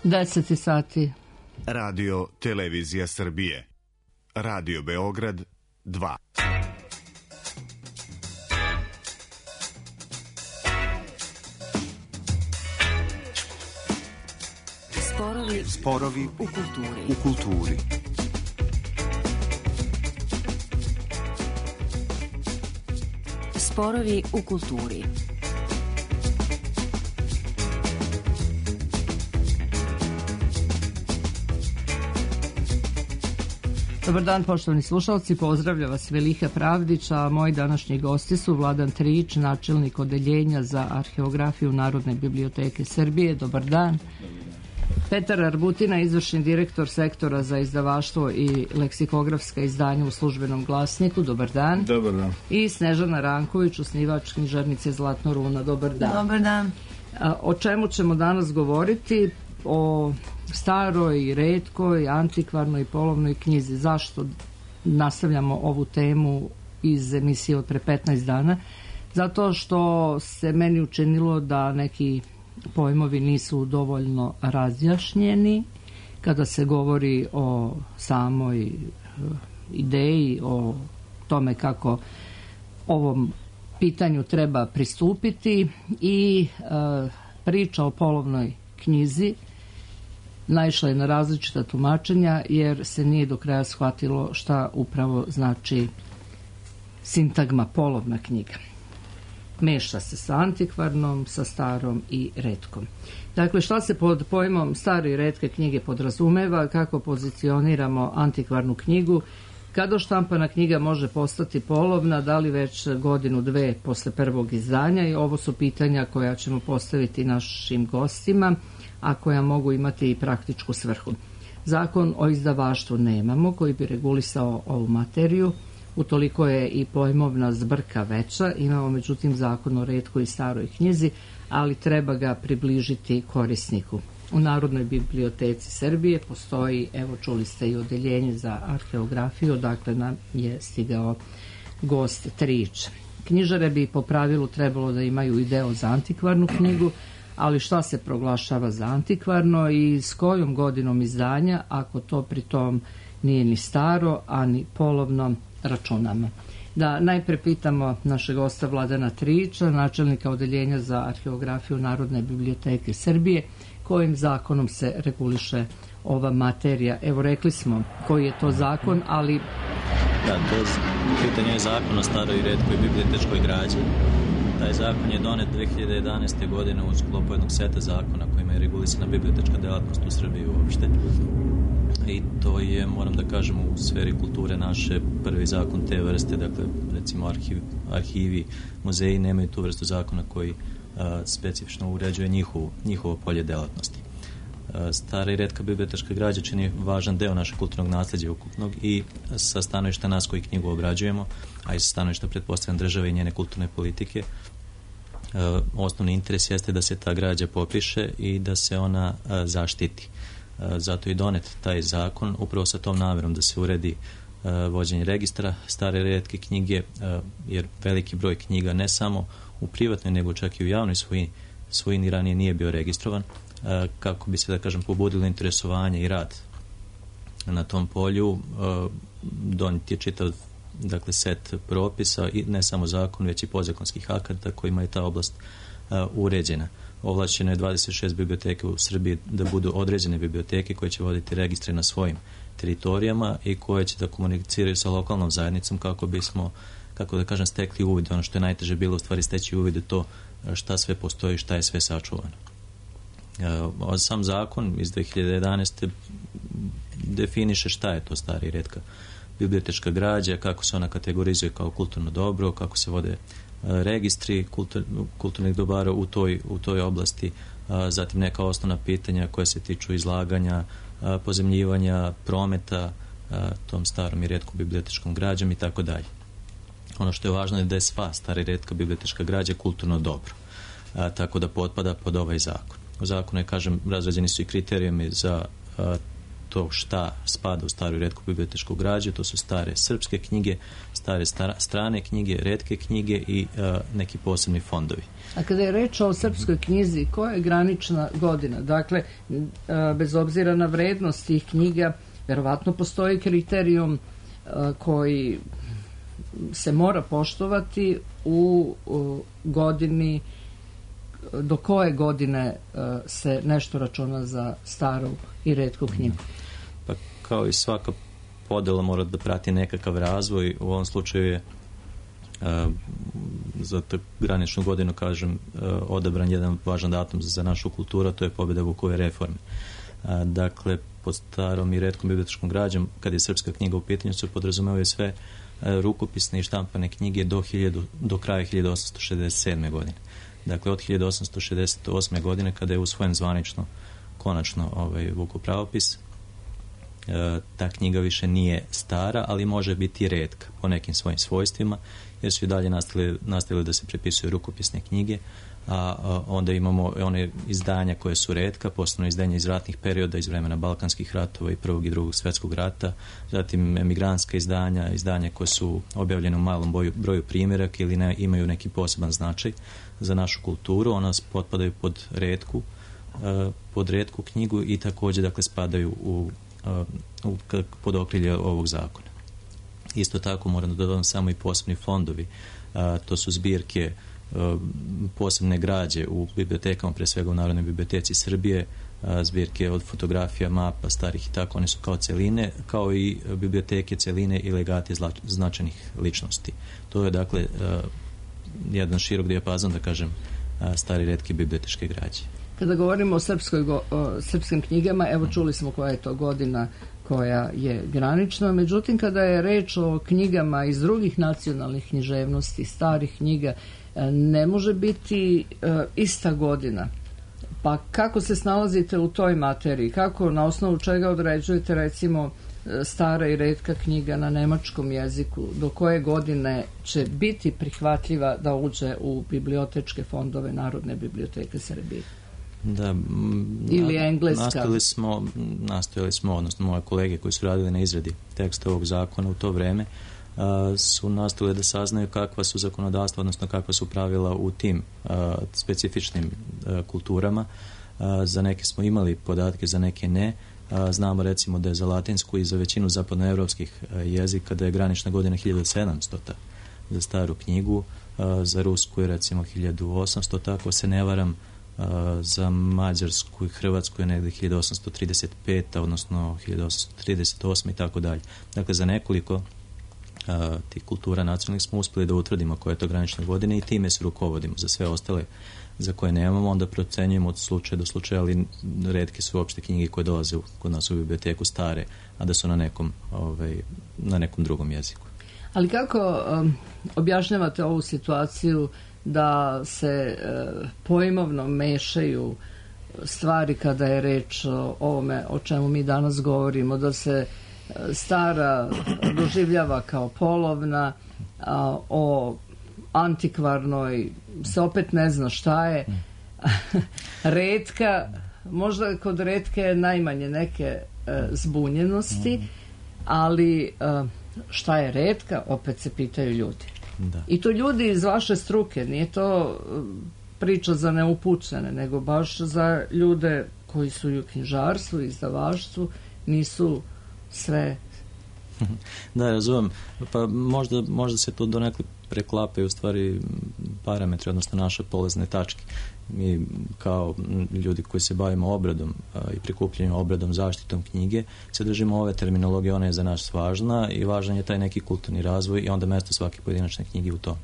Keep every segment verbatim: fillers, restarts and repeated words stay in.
deset sati. Radio Televizija Srbije. Radio Beograd dva. Sporovi, Sporovi u kulturi. U kulturi. Sporovi u kulturi. Dobar dan, poštovani slušalci, pozdravlja vas Velika Pravdić, a moji današnji gosti su Vladan Trijić, načelnik odeljenja za arheografiju Narodne biblioteke Srbije. Dobar dan. Petar Arbutina, izvršni direktor sektora za izdavaštvo i leksikografska izdanja u Službenom glasniku. Dobar dan. Dobar dan. I Snežana Ranković, osnivač knjižarnice Zlatno runo. Dobar dan. Dobar dan. O čemu ćemo danas govoriti? O staroj, retkoj, antikvarnoj i polovnoj knjizi. Zašto nastavljamo ovu temu iz emisije od pre petnaest dana? Zato što se meni učinilo da neki pojmovi nisu dovoljno razjašnjeni kada se govori o samoj ideji, o tome kako ovom pitanju treba pristupiti i e, priča o polovnoj knjizi naišla je na različita tumačenja jer se nije do kraja shvatilo šta upravo znači sintagma polovna knjiga. Meša se sa antikvarnom, sa starom i retkom. Dakle, šta se pod pojmom stare i retke knjige podrazumeva, kako pozicioniramo antikvarnu knjigu, kada štampana knjiga može postati polovna, da li već godinu, dve posle prvog izdanja, i ovo su pitanja koja ćemo postaviti našim gostima, a koja mogu imati i praktičku svrhu. Zakon o izdavaštvu nemamo koji bi regulisao ovu materiju, utoliko je i pojmovna zbrka veća. Imamo međutim zakon o retkoj i staroj knjizi, ali treba ga približiti korisniku. U Narodnoj biblioteci Srbije postoji, evo čuli ste, i odeljenje za arheografiju, dakle nam je stigao gost Trijić. Knjižare bi po pravilu trebalo da imaju i deo za antikvarnu knjigu, ali šta se proglašava za antikvarno i s kojom godinom izdanja, ako to pritom nije ni staro, a ni polovno računamo. Da najpre pitamo našeg gosta Vladana Trijića, načelnika odeljenja za arheografiju Narodne biblioteke Srbije, kojim zakonom se reguliše ova materija. Evo, rekli smo koji je to zakon, ali... Da, to je pitanje je zakon o staroj i retkoj bibliotečkoj građi. Taj zakon je donet dve hiljade jedanaeste. godine u sklopu jednog seta zakona kojima je regulisana bibliotečka delatnost u Srbiji uopšte. I to je, moram da kažem, u sferi kulture naše prvi zakon te vrste, dakle, recimo arhiv, arhivi, muzeji nemaju tu vrstu zakona koji a, specifično uređuje njihovo, njihovo polje delatnosti. A, stara i retka bibliotečka građa čini važan deo našeg kulturnog nasleđa ukupnog i sa stanovišta nas koji knjigu obrađujemo, a i sa stanovišta pretpostavljam države i njene kulturne politike, a, osnovni interes jeste da se ta građa popiše i da se ona a, zaštiti. Zato je donet taj zakon upravo sa tom namerom da se uredi uh, vođenje registra stare i retke knjige, uh, jer veliki broj knjiga ne samo u privatnoj nego čak i u javnoj svojini, svojini ranije nije bio registrovan, uh, kako bi se, da kažem, pobudilo interesovanje i rad na tom polju. Uh, donet je čitav, dakle, set propisa i ne samo zakon, već i podzakonskih akata kojima je ta oblast uh, uređena. Ovlašćeno je dvadeset šest biblioteke u Srbiji da budu određene biblioteke koje će voditi registre na svojim teritorijama i koje će da komuniciraju sa lokalnom zajednicom kako bismo, kako da kažem, stekli uvid. Ono što je najteže bilo u stvari steći uvid u to šta sve postoji, šta je sve sačuvano. E, sam zakon iz dve hiljade jedanaeste. definiše šta je to stara i retka bibliotečka građa, kako se ona kategorizuje kao kulturno dobro, kako se vode registri kultur, kulturnih dobara u toj, u toj oblasti, a, zatim neka osnovna pitanja koja se tiču izlaganja, a, pozemljivanja, prometa a, tom starom i retkom bibliotečkom građom i tako dalje. Ono što je važno je da je sva stara i retka bibliotečka građa kulturno dobro, a, tako da potpada pod ovaj zakon. U zakonu je, kažem, razrađeni su i kriterijumi za a, to šta spada u staru i retku bibliotečku građu. To su stare srpske knjige, stare stara, strane knjige, retke knjige i uh, neki posebni fondovi. A kada je reč o srpskoj knjizi, koja je granična godina? Dakle, bez obzira na vrednost tih knjiga, verovatno postoji kriterijum koji se mora poštovati u godini, do koje godine se nešto računa za staru i retku knjigu? Pa kao i svaka podela mora da prati nekakav razvoj. U ovom slučaju je Uh, za tu graničnu godinu, kažem, uh, odabran jedan važan datum za našu kulturu, to je pobjeda Vukove reforme. Uh, dakle, pod starom i retkom bibliotečkom građom, kad je srpska knjiga u pitanju, se podrazumevaju sve uh, rukopisne i štampane knjige do, hiljadu, do kraja hiljadu osamsto šezdeset sedme. godine. Dakle, od hiljadu osamsto šezdeset osme. godine, kada je usvojen zvanično, konačno, ovaj, Vukov pravopis, uh, ta knjiga više nije stara, ali može biti retka po nekim svojim svojstvima, jer su i dalje nastavili, nastavili da se prepisuju rukopisne knjige, a, a onda imamo one izdanja koje su retka, posebno izdanja iz ratnih perioda, iz vremena Balkanskih ratova i prvog i drugog svjetskog rata, zatim emigrantska izdanja, izdanja koje su objavljene u malom boju, broju primjerak ili ne, imaju neki poseban značaj za našu kulturu. Ona potpadaju pod retku, a, pod retku knjigu i također, dakle, spadaju u, a, u, pod okrilje ovog zakona. Isto tako moram da dodam samo i posebni fondovi. A, to su zbirke a, posebne građe u bibliotekama, pre svega u Narodnoj biblioteci Srbije, a, zbirke od fotografija, mapa, starih i tako, one su kao celine, kao i biblioteke celine i legati zla, značajnih ličnosti. To je, dakle, a, jedan širok dijapazon, da kažem, a, stari retke bibliotečke građe. Kada govorimo o, srpskoj, o srpskim knjigama, evo čuli smo koja je to godina koja je granična, međutim kada je reč o knjigama iz drugih nacionalnih književnosti, starih knjiga, ne može biti e, ista godina. Pa kako se snalazite u toj materiji? Kako, na osnovu čega određujete, recimo, stara i retka knjiga na nemačkom jeziku, do koje godine će biti prihvatljiva da uđe u bibliotečke fondove Narodne biblioteke Srbije? Da, ili engleska. Nastojali smo, nastojali smo, odnosno moje kolege koji su radili na izradi teksta ovog zakona u to vreme, a, su nastojali da saznaju kakva su zakonodavstva, odnosno kakva su pravila u tim a, specifičnim a, kulturama. A, za neke smo imali podatke, za neke ne. A, znamo, recimo, da je za latinsku i za većinu zapadnoevropskih jezika da je granična godina hiljadu sedamsto za staru knjigu, a, za rusku je, recimo, hiljadu osamsto, tako se ne varam. Uh, za Mađarsku i Hrvatsku je negdje hiljadu osamsto trideset peta. odnosno hiljadu osamsto trideset osme. i tako dalje. Dakle, za nekoliko uh, tih kultura nacionalnih smo uspjeli da utvrdimo koje je to granične godine i time se rukovodimo. Za sve ostale za koje nemamo, onda procenjujemo od slučaja do slučaja, ali retke su uopšte knjige koje dolaze u, kod nas u biblioteku stare, a da su na nekom, ovaj, na nekom drugom jeziku. Ali kako um, objašnjavate ovu situaciju da se e, pojmovno mešaju stvari kada je reč o ovome o čemu mi danas govorimo, da se e, stara doživljava kao polovna, a o antikvarnoj se opet ne zna šta je, retka, možda kod retke je najmanje neke e, zbunjenosti, ali e, šta je retka, opet se pitaju ljudi. Da. I to ljudi iz vaše struke, nije to priča za neupućene, nego baš za ljude koji su i u knjižarstvu, izdavaštvu, nisu sve. Da, razumem. Pa možda, možda se to donekle preklapaju u stvari parametri, odnosno naše polazne tačke. Mi kao ljudi koji se bavimo obradom a, i prikupljanjem obradom, zaštitom knjige, se držimo ove terminologije, ona je za nas važna i važan je taj neki kulturni razvoj i onda mjesto svake pojedinačne knjige u tom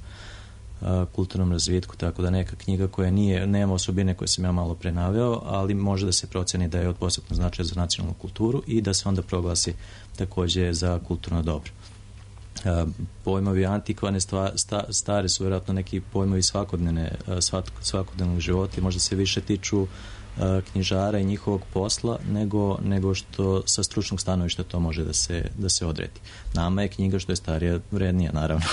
a, kulturnom razvitku, tako da neka knjiga koja nije, nema osobine koje sam ja malo prenaveo, ali može da se proceni da je od posebnog značaja za nacionalnu kulturu i da se onda proglasi također za kulturno dobro. Uh, pojmovi antikvarne stva, sta, stare su vjerojatno neki pojmovi svakodnevne, uh, svak, svakodnevnog života i možda se više tiču uh, knjižara i njihovog posla nego, nego što sa stručnog stanovišta to može da se, da se odredi. Nama je knjiga što je starija vrednija, naravno,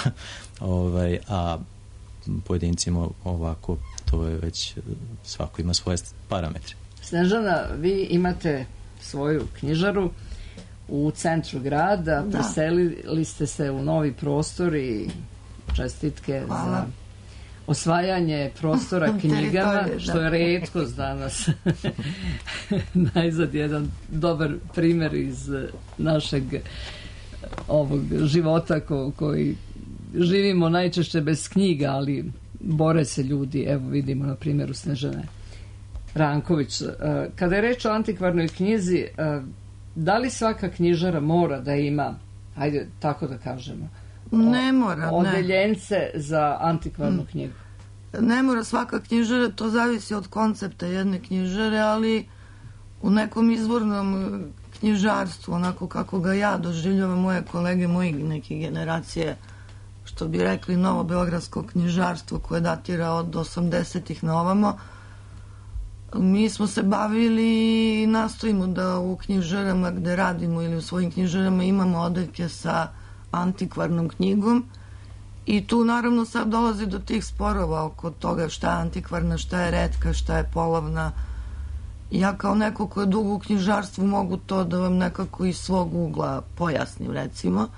ovaj, a pojedincima ovako to je već, svako ima svoje parametre. Snežana, vi imate svoju knjižaru u centru grada, Da. preselili ste se u novi prostor i čestitke Hvala. za osvajanje prostora knjigama, Teritorije, što da. je retkost danas. Najzad jedan dobar primjer iz našeg ovog života ko, koji živimo najčešće bez knjiga, ali bore se ljudi, evo vidimo na primjeru Snežane Ranković. Kada je reč o antikvarnoj knjizi, da li svaka knjižara mora da ima, hajde tako da kažemo, Ne mora, ne. odeljence za antikvarnu knjigu? Ne mora svaka knjižara, to zavisi od koncepta jedne knjižare, ali u nekom izvornom knjižarstvu, onako kako ga ja doživljavam, moje kolege, moji neke generacije, što bi rekli novo beogradsko knjižarstvo koje datira od osamdesetih na ovamo, mi smo se bavili i nastojimo da u knjižarama gde radimo ili u svojim knjižarama imamo odeljke sa antikvarnom knjigom i tu naravno sad dolazi do tih sporova oko toga šta je antikvarna, šta je retka, šta je polovna. Ja kao neko ko je dugo u knjižarstvu mogu to da vam nekako iz svog ugla pojasnim, recimo,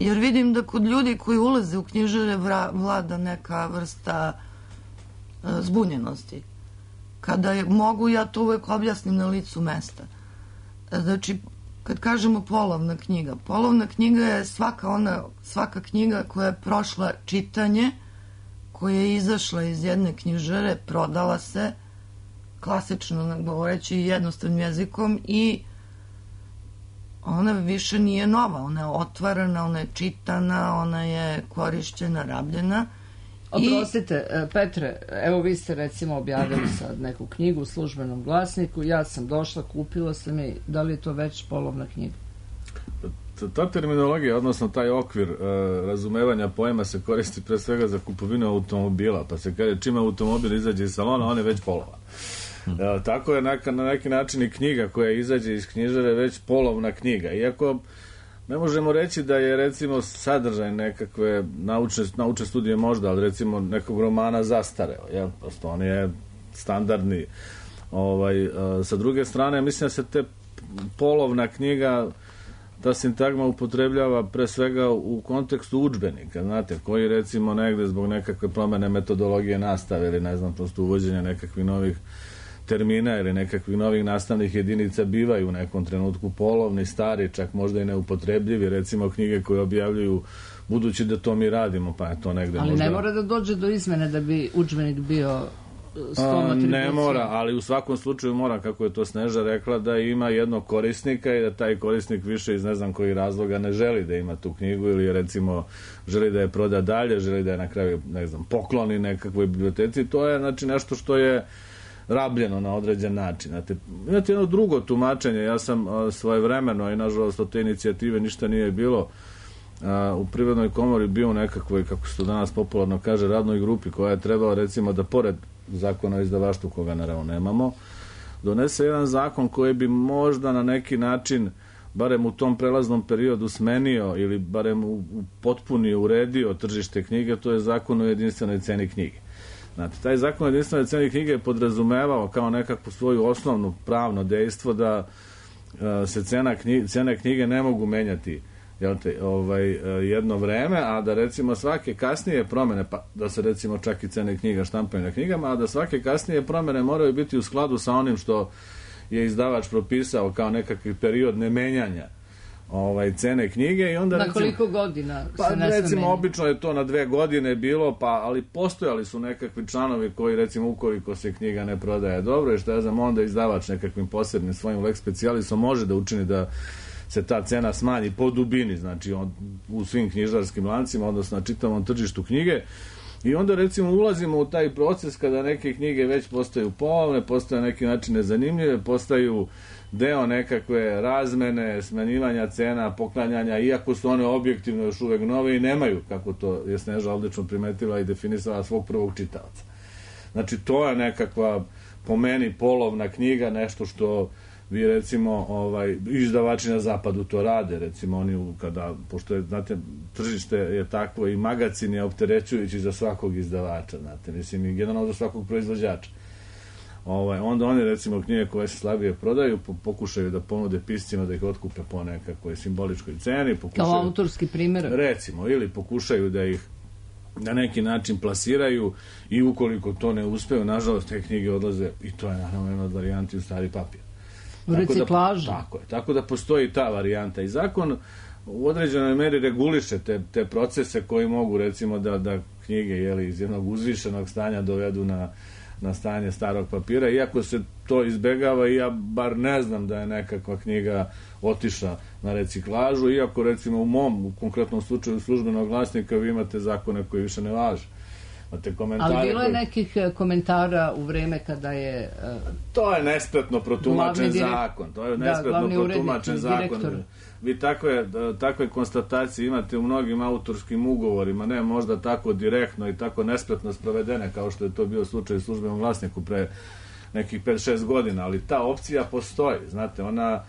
jer vidim da kod ljudi koji ulaze u knjižare vlada neka vrsta e, zbunjenosti. Kada je, mogu, ja to uvek objasnim na licu mesta. Znači, kad kažemo polovna knjiga, polovna knjiga je svaka ona, svaka knjiga koja je prošla čitanje, koja je izašla iz jedne knjižare, prodala se, klasično govoreći jednostavnim jezikom, i ona više nije nova, ona je otvarana, ona je čitana, ona je korišćena, rabljena. Oprostite, Petre, evo vi ste recimo objavili sad neku knjigu u Službenom glasniku, ja sam došla, kupila sam je, da li je to već polovna knjiga? Ta terminologija, odnosno taj okvir uh, razumevanja pojma se koristi pre svega za kupovinu automobila, pa se kaže čim automobil izađe iz salona, on je već polova. Uh, tako je neka, na neki način i knjiga koja izađe iz knjižare već polovna knjiga, iako ne možemo reći da je recimo sadržaj nekakve naučne, naučne studije možda, ali recimo nekog romana zastareo, jel? Prosto on je standardni. Ovaj, a, sa druge strane, mislim da se te polovna knjiga, ta sintagma upotrebljava pre svega u kontekstu udžbenika, znate, koji recimo negde zbog nekakve promene metodologije nastave ili ne znam, prosto uvođenja nekakvih novih termina ili nekakvih novih nastavnih jedinica bivaju u nekom trenutku polovni, stari, čak možda i neupotrebljivi, recimo knjige koje objavljuju budući da to mi radimo, pa je to negde ali možda... ne mora da dođe do izmene da bi udžbenik bio s tom atribucijom. Ne mora, ali u svakom slučaju mora, kako je to Sneža rekla, da ima jednog korisnika i da taj korisnik više iz ne znam kojih razloga ne želi da ima tu knjigu ili recimo želi da je proda dalje, želi da je na kraju, ne znam, pokloni nekakvoj biblioteci. To je znači nešto što je rabljeno na određen način. Znate, imate jedno drugo tumačenje, ja sam svojevremeno i nažalost od te inicijative ništa nije bilo, a, u Privrednoj komori bio u nekakvoj, kako se to danas popularno kaže, radnoj grupi koja je trebala recimo da pored zakona o izdavaštvu, koga naravno nemamo, donese jedan zakon koji bi možda na neki način barem u tom prelaznom periodu smenio ili barem u, u potpunije uredio tržište knjige, to je zakon o jedinstvenoj ceni knjige. Znate, taj zakon o jedinstvenoj ceni knjige je podrazumevao kao nekakvu svoju osnovnu pravno dejstvo da a, se cena knjige, cene knjige ne mogu menjati, jel te, ovaj, jedno vreme, a da recimo svake kasnije promene, pa da se recimo čak i cene knjiga štampaju na knjigama, a da svake kasnije promene moraju biti u skladu sa onim što je izdavač propisao kao nekakvi period nemenjanja ovaj, cene knjige i onda na recimo, koliko godina pa, se ne recimo sme obično je to na dve godine bilo, pa ali postojali su nekakvi članovi koji recimo ukoliko se knjiga ne prodaje dobro i što ja znam, onda izdavač nekakvim posebnim svojim lex specialisom može da učini da se ta cena smanji po dubini, znači on, u svim knjižarskim lancima, odnosno na čitavom tržištu knjige. I onda recimo ulazimo u taj proces kada neke knjige već postaju polovne, postaju na neki način nezanimljive, postaju deo nekakve razmene, smanjivanja cena, poklanjanja, iako su one objektivno još uvek nove i nemaju, kako to je Sneža odlično primetila i definisala, svog prvog čitaoca. Znači to je nekakva po meni polovna knjiga, nešto što vi recimo ovaj, izdavači na zapadu to rade, recimo oni kada, pošto je, znate, tržište je takvo i magacin je opterećujući za svakog izdavača, znate, mislim i generalno za svakog proizvođača. Ovaj, onda oni recimo knjige koje se slabije prodaju pokušaju da ponude piscima da ih otkupe po nekakvoj simboličkoj ceni, pokušaju, kao autorski primjer recimo, ili pokušaju da ih na neki način plasiraju i ukoliko to ne uspeju, nažalost te knjige odlaze i to je naravno jedna od varijanti u stari papir. U reciklažu. Da, tako je, tako da postoji ta varijanta i zakon u određenoj meri reguliše te, te procese koji mogu recimo da, da knjige jeli, iz jednog uzvišenog stanja dovedu na, na stanje starog papira, iako se to izbegava i ja bar ne znam da je nekakva knjiga otišla na reciklažu, iako recimo u mom, u konkretnom slučaju službenog glasnika vi imate zakone koji više ne važe. Ali bilo je nekih komentara u vreme kada je... Uh, to je nespretno protumačen direkt... zakon. To je nespretno da, protumačen zakon. Vi takve, takve konstatacije imate u mnogim autorskim ugovorima, ne možda tako direktno i tako nespretno sprovedene kao što je to bio slučaj u službenom glasniku pre nekih pet šest godina, ali ta opcija postoji. Znate, ona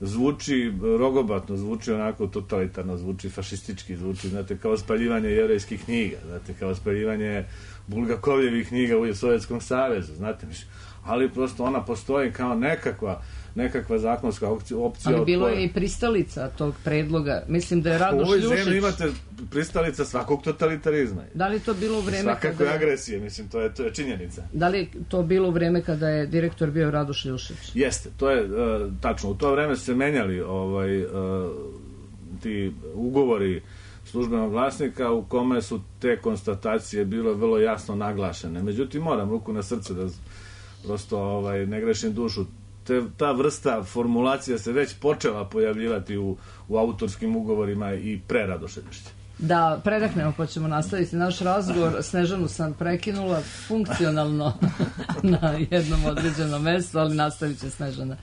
zvuči rogobatno, zvuči onako totalitarno, zvuči fašistički, zvuči, znate, kao spaljivanje jevrejskih knjiga, znate, kao spaljivanje Bulgakovljevih knjiga u Sovjetskom savezu, znate, ali prosto ona postoji kao nekakva nekakva zakonska opcija. Ali bilo je i pristalica tog predloga. Mislim da je Radoš Ljušić... U ovoj zemlji imate pristalica svakog totalitarizma. Da li to bilo u vreme Svakakve kada... agresije, mislim, to je, to je činjenica. Da li to bilo u vreme kada je direktor bio Radoš Ljušić? Jeste, to je uh, tačno. U to vreme su se menjali ovaj, uh, ti ugovori službenog glasnika u kome su te konstatacije bilo vrlo jasno naglašene. Međutim, moram ruku na srce da prosto ovaj, ne grešim dušu. Te, ta vrsta formulacija se već počela pojavljivati u, u autorskim ugovorima i pre Radoša Ljušića. Da, predahnemo pa ćemo nastaviti naš razgovor. Snežanu sam prekinula funkcionalno na jednom određenom mestu, ali nastavit će Snežana.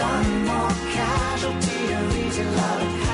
One more casualty of easy love.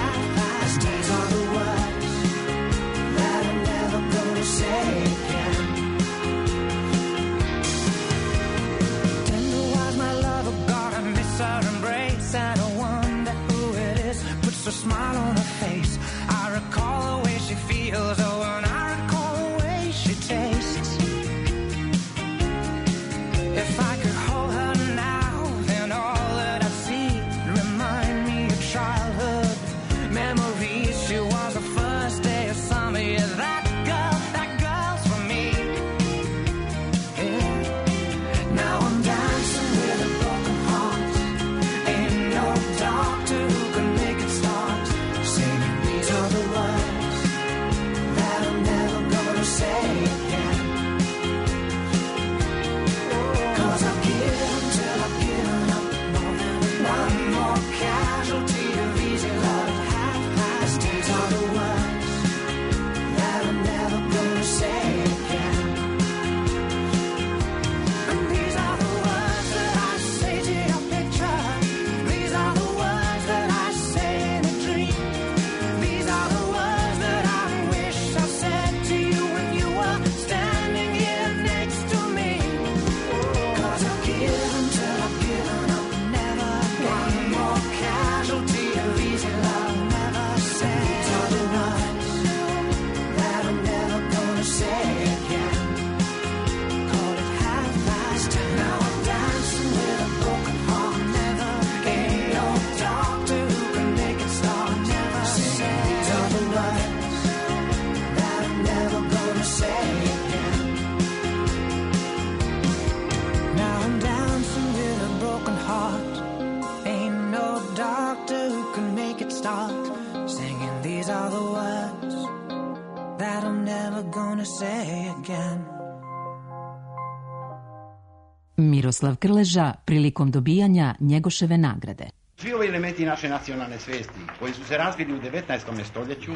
Miroslav Krleža prilikom dobijanja Njegoševe nagrade. Svi ovi elementi naše nacionalne svijesti koji su se razvili u devetnaestom stoljeću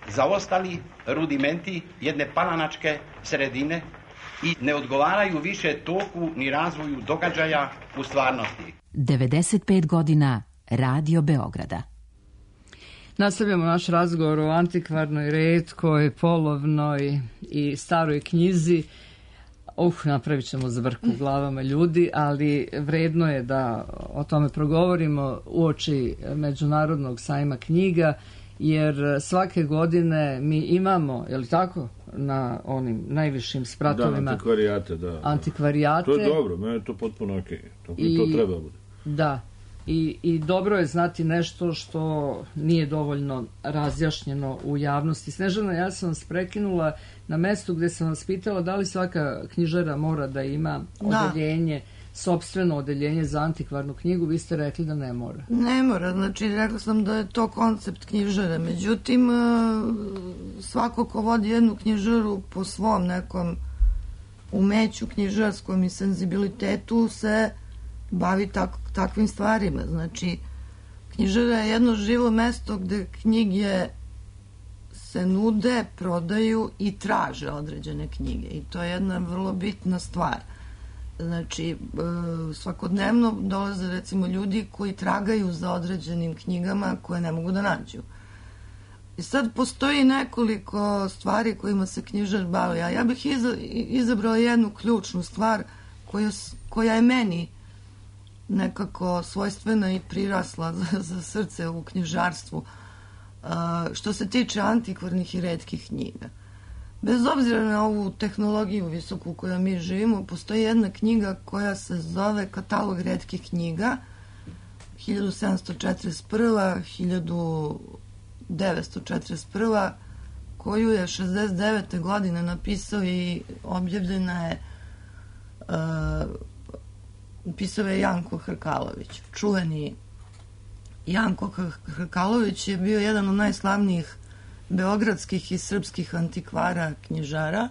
zaostali rudimenti jedne palanačke sredine i ne odgovaraju više toku ni razvoju događaja u stvarnosti. devedeset pet godina Radio Beograda. Nastavljamo naš razgovor o antikvarnoj, retkoj, polovnoj i staroj knjizi. Uh, napravit ćemo zbrku u glavama ljudi, ali vredno je da o tome progovorimo uoči Međunarodnog sajma knjiga, jer svake godine mi imamo, je li tako, na onim najvišim spratovima da, antikvarijate, da, antikvarijate. To je dobro, meni je to potpuno ok. To, I, to treba bude. Da, I, i dobro je znati nešto što nije dovoljno razjašnjeno u javnosti. Snežana, ja sam vas prekinula na mestu gde sam vas pitala da li svaka knjižara mora da ima odeljenje, sopstveno odeljenje za antikvarnu knjigu. Vi ste rekli da ne mora. Ne mora, znači rekla sam da je to koncept knjižare. Međutim, svako ko vodi jednu knjižaru po svom nekom umeću knjižarskom i senzibilitetu se bavi tak, takvim stvarima. Znači, knjižara je jedno živo mesto gde knjige se nude, prodaju i traže određene knjige. I to je jedna vrlo bitna stvar. Znači, svakodnevno dolaze recimo ljudi koji tragaju za određenim knjigama koje ne mogu da nađu. I sad postoji nekoliko stvari kojima se knjižar bavi. A ja bih izabrala jednu ključnu stvar koja, koja je meni nekako svojstvena i prirasla za, za srce u knjižarstvu. Uh, što se tiče antikvarnih i retkih knjiga. Bez obzira na ovu tehnologiju visoku u kojoj mi živimo, postoji jedna knjiga koja se zove Katalog retkih knjiga hiljadu sedamsto četrdeset prva do hiljadu devetsto četrdeset prva, koju je šezdeset devete godine napisao i objavljena je uh, pisao je Janko Hrkalović. Čuveni Janko Hrkalović je bio jedan od najslavnijih beogradskih i srpskih antikvara knjižara,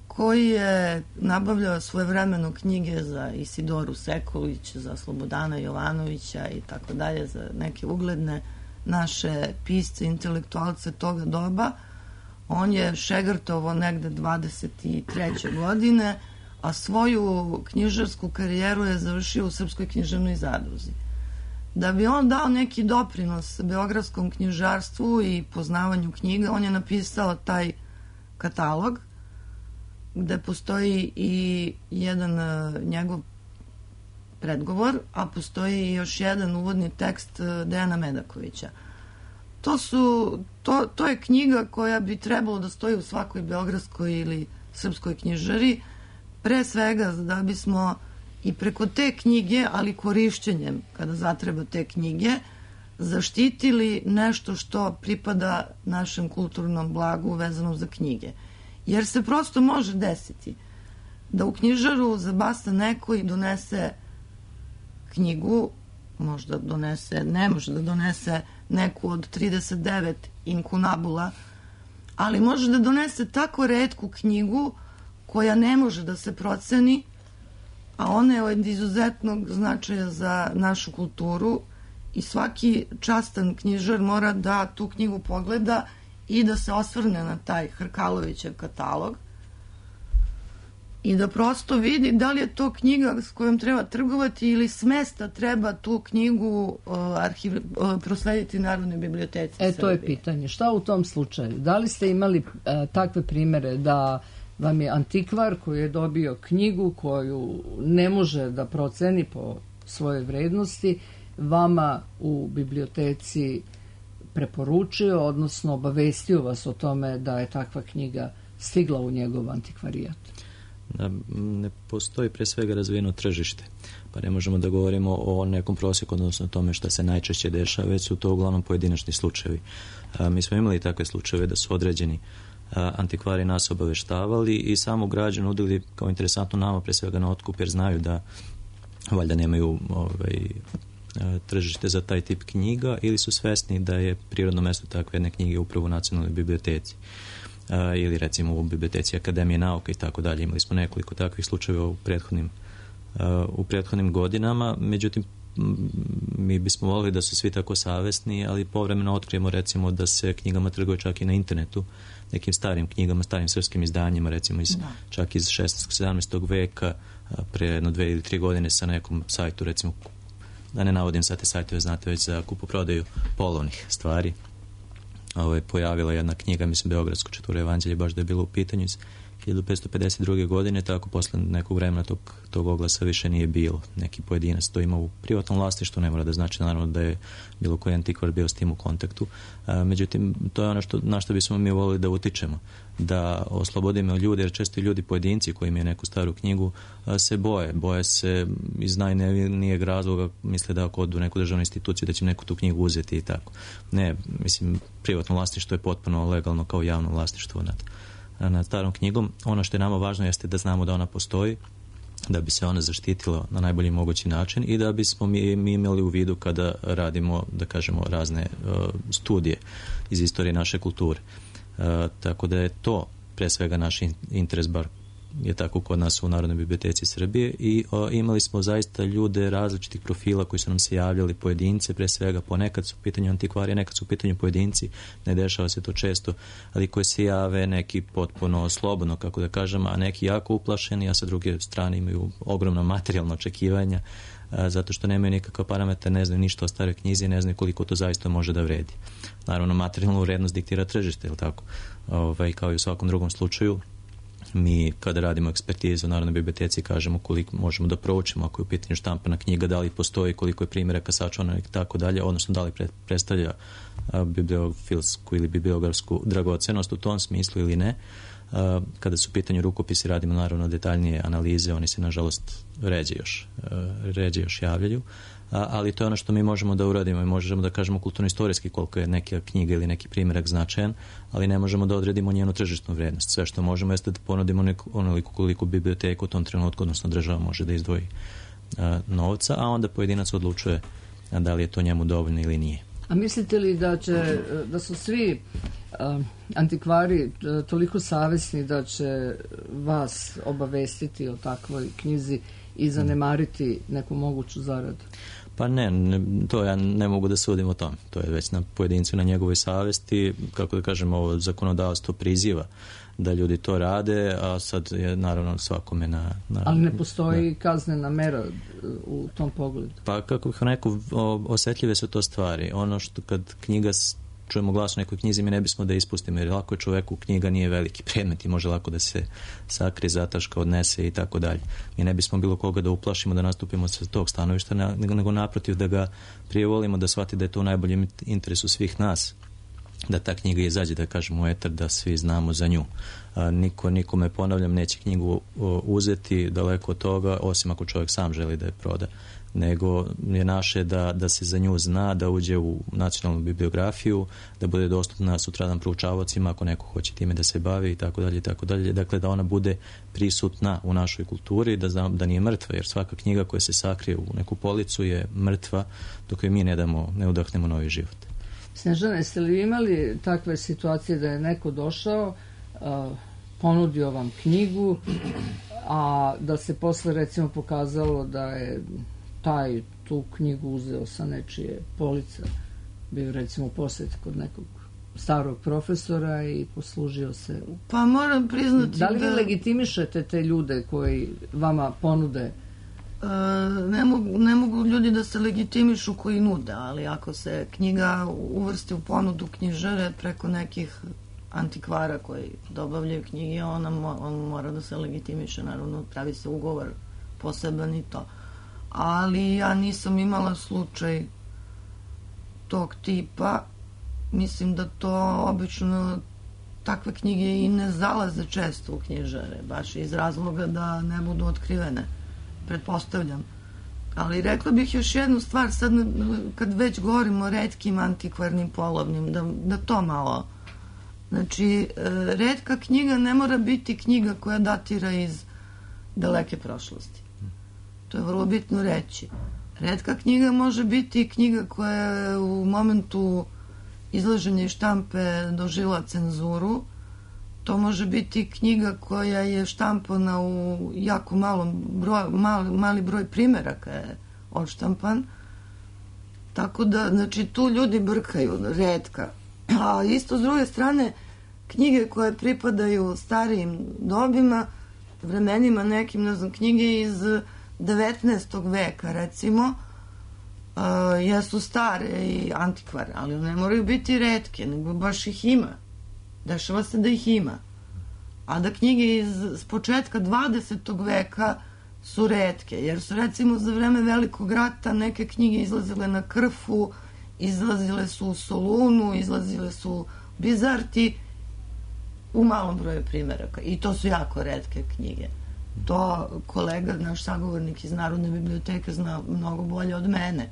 koji je nabavljao svojevremeno knjige za Isidoru Sekulić, za Slobodana Jovanovića i tako dalje, za neke ugledne naše pisce, intelektualce toga doba. On je šegrtovo negde dvadeset treće godine, a svoju knjižarsku karijeru je završio u Srpskoj književnoj zadruzi. Da bi on dao neki doprinos beogradskom knjižarstvu i poznavanju knjiga, on je napisao taj katalog, gde postoji i jedan njegov predgovor, a postoji i još jedan uvodni tekst Dejana Medakovića. To, su, to, to je knjiga koja bi trebalo da stoji u svakoj beogradskoj ili srpskoj knjižari, pre svega da bismo i preko te knjige, ali korišćenjem, kada zatreba te knjige, zaštitili nešto što pripada našem kulturnom blagu vezano za knjige. Jer se prosto može desiti da u knjižaru zabasta neko i donese knjigu, možda donese, ne može da donese neku od trideset devet inkunabula, ali može da donese tako retku knjigu koja ne može da se proceni, a ona je od izuzetnog značaja za našu kulturu i svaki častan knjižar mora da tu knjigu pogleda i da se osvrne na taj Hrkalovićev katalog i da prosto vidi da li je to knjiga s kojom treba trgovati ili s mesta treba tu knjigu uh, arhiv, uh, proslediti Narodnoj biblioteci E, Srbije. To je pitanje. Šta u tom slučaju? Da li ste imali uh, takve primere da vam je antikvar koji je dobio knjigu koju ne može da proceni po svojoj vrednosti, vama u biblioteci preporučio, odnosno obavestio vas o tome da je takva knjiga stigla u njegov antikvarijat? Da, ne postoji pre svega razvijeno tržište, pa ne možemo da govorimo o nekom prosjeku, odnosno o tome šta se najčešće dešava, već su to uglavnom pojedinačni slučajevi. A, mi smo imali takve slučajeve da su određeni antikvari nas obaveštavali i samu građu nudili kao interesantno nama pre svega na otkup, jer znaju da valjda nemaju ovaj, tržište za taj tip knjiga ili su svesni da je prirodno mesto takve jedne knjige upravo u Nacionalnoj biblioteci ili recimo u biblioteci Akademije nauka i tako dalje. Imali smo nekoliko takvih slučajeva u prethodnim u prethodnim godinama, međutim mi bismo volili da su svi tako savesni, ali povremeno otkrijemo recimo da se knjigama trguje čak i na internetu, nekim starim knjigama, starim srpskim izdanjima, recimo iz, da. čak iz šesnaestog sedamnaestog veka, pre jedno dve ili tri godine sa nekom sajtu, recimo, da ne navodim sad te sajtove, znate već za kupoprodaju polovnih stvari. Ovo je pojavila jedna knjiga, mislim, Beogradsko četvoro evanđelje, baš da je bilo u pitanju iz hiljadu petsto pedeset druge. godine, tako posle nekog vremena tog, tog oglasa više nije bilo. Neki pojedinac to ima u privatnom vlasništvu, ne mora da znači naravno da je bilo koji antikvar bio s tim u kontaktu. A, međutim, to je ono što, na što bismo mi volili da utičemo, da oslobodimo ljude, jer često ljudi pojedinci koji imaju neku staru knjigu a, se boje. Boje se iz najnevnijeg razloga, misle da ako odu u neku državnu instituciju da će neku tu knjigu uzeti i tako. Ne, mislim, privatno vlasništvo je potpuno legalno kao javno vlasništvo nad nad starom knjigom. Ono što je nama važno jeste da znamo da ona postoji, da bi se ona zaštitila na najbolji mogući način i da bismo mi, mi imali u vidu kada radimo, da kažemo, razne uh, studije iz istorije naše kulture. Uh, tako da je to pre svega naš interes, bar je tako kod nas u Narodnoj biblioteci Srbije, i o, imali smo zaista ljude različitih profila koji su nam se javljali, pojedince pre svega, ponekad su u pitanju antikvarije, nekad su u pitanju pojedinci, ne dešava se to često, ali koji se jave neki potpuno slobodno, kako da kažem, a neki jako uplašeni, a sa druge strane imaju ogromna materijalna očekivanja, a, zato što nemaju nikakav parametar, ne znaju ništa o staroj knjizi, ne znaju koliko to zaista može da vredi. Naravno, materijalnu vrednost diktira tržište, je li tako? Ovaj, kao i u svakom drugom slučaju. Mi kada radimo ekspertizu u Narodnoj biblioteci kažemo koliko možemo da proučimo ako je u pitanju štampana knjiga, da li postoji, koliko je primjeraka sačuvano i tako dalje, odnosno da li pre, predstavlja a, bibliofilsku ili bibliografsku dragocenost u tom smislu ili ne. A, kada su u pitanju rukopisi radimo naravno detaljnije analize, oni se nažalost ređe još, a, ređe još javljaju. A, ali to je ono što mi možemo da uradimo i možemo da kažemo kulturno-istorijski koliko je neka knjiga ili neki primjerak značajan, ali ne možemo da odredimo njenu tržišnu vrednost. Sve što možemo jeste da ponudimo neku, onoliko koliko biblioteka u tom trenutku, odnosno država može da izdvoji a, novca, a onda pojedinac odlučuje a, da li je to njemu dovoljno ili nije. A mislite li da će, da su svi a, antikvari toliko savesni da će vas obavestiti o takvoj knjizi i zanemariti neku moguću zaradu? Pa ne, ne, to ja ne mogu da sudim o tom. To je već na pojedincu, na njegovoj savesti. Kako da kažem, ovo zakonodavstvo priziva da ljudi to rade, a sad je naravno svakome na... na Ali ne postoji na, kaznena mera u tom pogledu? Pa kako bih rekao, osetljive su to stvari. Ono što kad knjiga, čujemo glas u nekoj knjizi, mi ne bismo da ispustimo, jer lako je čoveku, knjiga nije veliki predmet i može lako da se sakri, zataška, odnese i tako dalje. Mi ne bismo bilo koga da uplašimo, da nastupimo sa tog stanovišta, nego naprotiv da ga prije volimo, da shvati da je to u najboljem interesu svih nas, da ta knjiga izađe, da kažemo, u etar, da svi znamo za nju. A, niko, nikome, ponavljam, neće knjigu o, uzeti daleko od toga, osim ako čovjek sam želi da je proda, nego je naše da, da se za nju zna, da uđe u nacionalnu bibliografiju, da bude dostupna sutradan proučavacima ako neko hoće time da se bavi i tako dalje i tako dalje. Dakle, da ona bude prisutna u našoj kulturi, da znam da nije mrtva, jer svaka knjiga koja se sakrije u neku policu je mrtva dok joj mi ne damo, ne udahnemo novi život. Snežana, jeste li imali takve situacije da je neko došao, uh, ponudio vam knjigu, a da se posle recimo pokazalo da je taj tu knjigu uzeo sa nečije police, bio recimo posjet kod nekog starog profesora i poslužio se? Pa moram priznati da... li vi da... legitimišete te ljude koji vama ponude? E, ne, mogu, ne mogu ljudi da se legitimišu koji nude, ali ako se knjiga uvrsti u ponudu knjižare preko nekih antikvara koji dobavljaju knjige, ona mo, on mora da se legitimiše, naravno pravi se ugovor poseban i to. Ali ja nisam imala slučaj tog tipa. Mislim da to obično takve knjige i ne zalaze često u knjižare, baš iz razloga da ne budu otkrivene, pretpostavljam. Ali rekla bih još jednu stvar, sad kad već govorimo o retkim antikvarnim polovnim, da, da to malo... Znači, retka knjiga ne mora biti knjiga koja datira iz daleke prošlosti. To je vrlo bitno reći. Retka knjiga može biti knjiga koja je u momentu izlaženja iz štampe doživjela cenzuru To može biti knjiga koja je štampana u jako malom broj, mali, mali broj primeraka je odštampan. Tako da, znači, tu ljudi brkaju, redka. A isto s druge strane, knjige koje pripadaju starijim dobima, vremenima nekim, ne znam, knjige iz devetnaestog veka, recimo, uh, jesu stare i antikvarne, ali ne moraju biti retke, nego baš ih ima. Dešava se da ih ima. A da knjige iz s početka dvadesetog veka su retke, jer su, recimo, za vreme Velikog rata neke knjige izlazile na Krfu, izlazile su u Solunu, izlazile su u Bizarti, u malom broju primeraka. I to su jako retke knjige. To kolega, naš sagovornik iz Narodne biblioteke, zna mnogo bolje od mene.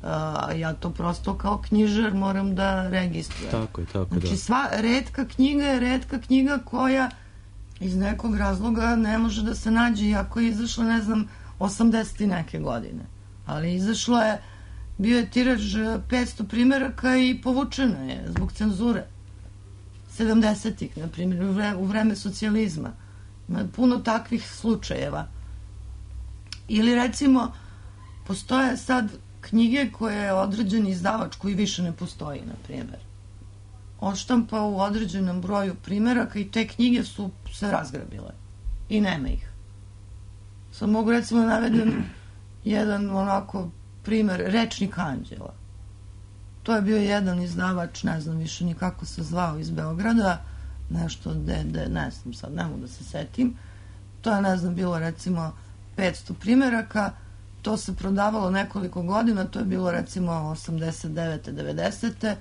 A ja to prosto kao knjižar moram da registrujem. Tako je, tako, znači, da. sva retka knjiga je retka knjiga koja iz nekog razloga ne može da se nađe, iako je izašla, ne znam, osamdeset i neke godine. Ali izašla je, bio je tiraž petsto primeraka i povučena je zbog cenzure. sedamdesetih, na primjer, u, vre, u vreme socijalizma. Ima puno takvih slučajeva. Ili, recimo, postoje sad knjige koje je određen izdavač koji više ne postoji, na primjer. Odštampa u određenom broju primeraka i te knjige su se razgrabile. I nema ih. Sad mogu, recimo, navedem jedan onako primer, Rečnik anđela. To je bio jedan izdavač, ne znam više ni kako se zvao, iz Beograda, nešto de, de, ne znam sad, ne mogu da se setim. To je, ne znam, bilo recimo petsto primeraka, to se prodavalo nekoliko godina, to je bilo recimo osamdeset devete devedesete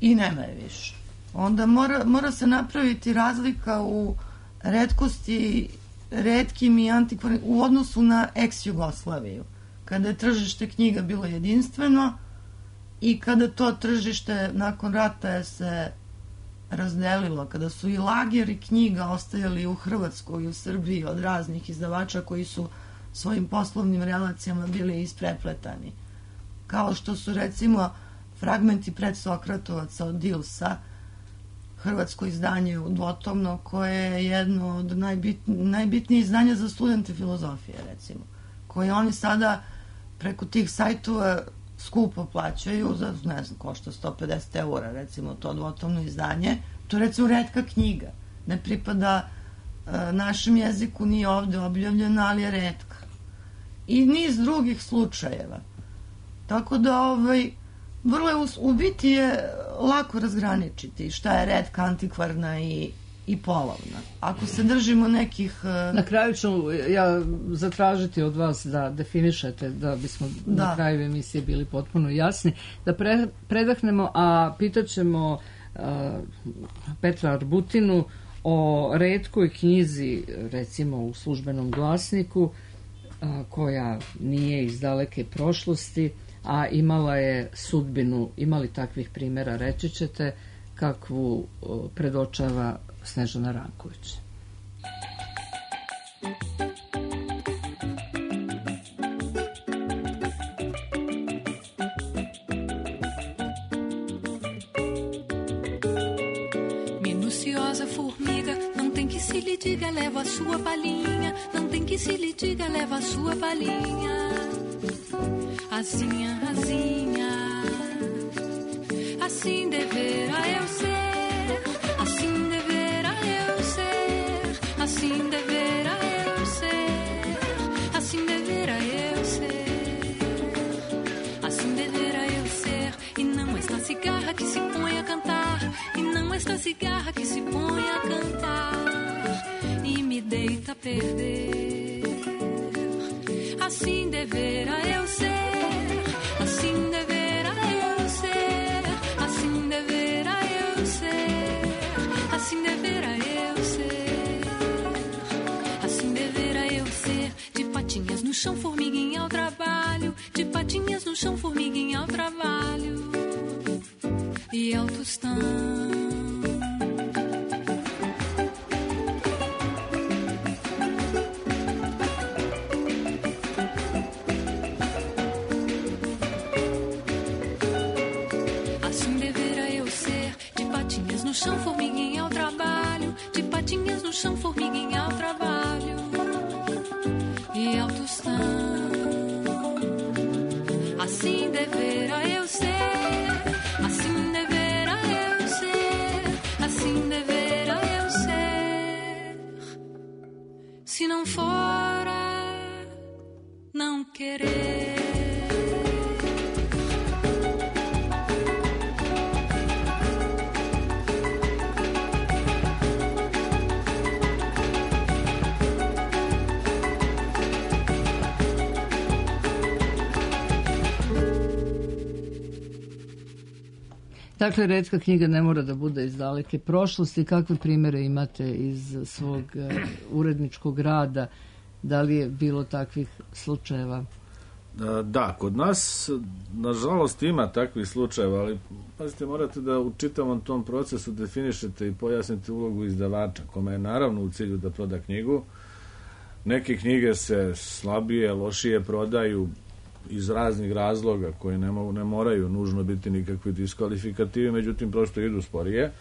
i nema je više. Onda mora, mora se napraviti razlika u retkosti, retkim i antikvarnim, u odnosu na ex-Jugoslaviju, kada je tržište knjiga bilo jedinstveno i kada to tržište nakon rata je se razdelilo, kada su i lageri knjiga ostajali u Hrvatskoj i u Srbiji od raznih izdavača koji su svojim poslovnim relacijama bili isprepletani. Kao što su, recimo, fragmenti pred Sokratovaca od Dilsa, hrvatsko izdanje dvotomno, koje je jedno od najbit, najbitnijih izdanja za studente filozofije, recimo, koje oni sada preko tih sajtova skupo plaćaju, za, ne znam, košta sto pedeset eura, recimo, to dvotomno izdanje. To je, recimo, retka knjiga. Ne pripada e, našem jeziku, nije ovde objavljena, ali je retka. I niz drugih slučajeva. Tako da, ovaj, vrlo je, u biti je lako razgraničiti šta je retka, antikvarna i, i polovna. Ako se držimo nekih... Uh... Na kraju ću ja zatražiti od vas da definišete, da bismo da. na kraju emisije bili potpuno jasni, da pre, predahnemo, a pitaćemo uh, Petra Arbutinu o retkoj knjizi, recimo u Službenom glasniku, uh, koja nije iz daleke prošlosti, a imala je sudbinu, imali takvih primjera, reći ćete, kakvu uh, predočava Snežana Ranković. Minuciosa formiga, não tem que se lhe diga, leva a sua palhinha, não tem que se lhe diga, leva a sua palhinha. Asinha, asinha, assim deverá eu ser, assim deverá eu ser, assim deverá eu ser, assim deverá eu ser, assim deverá eu ser. E não esta cigarra que se põe a cantar, e não esta cigarra que se põe a cantar e me deita a perder. Assim deverá eu ser. Assim deverá eu ser, assim deverá eu ser, assim deverá eu ser, assim deverá eu ser. De patinhas no chão, formiguinha ao trabalho, de patinhas no chão, formiguinha ao trabalho e ao tostão. No chão, formiguinha tu está. Assim deverá eu ser, assim deverá eu ser, assim deverá eu ser. Se não fora, não querer. Dakle, retka knjiga ne mora da bude iz daleke prošlosti. Kakve primjere imate iz svog uh, uredničkog rada? Da li je bilo takvih slučajeva? Da, kod nas nažalost ima takvih slučajeva, ali pazite, morate da u čitavom tom procesu definišete i pojasnite ulogu izdavača, kome je naravno u cilju da proda knjigu. Neke knjige se slabije, lošije prodaju iz raznih razloga koji ne, mo- ne moraju nužno biti nikakvi diskvalifikativi, međutim prosto idu sporije.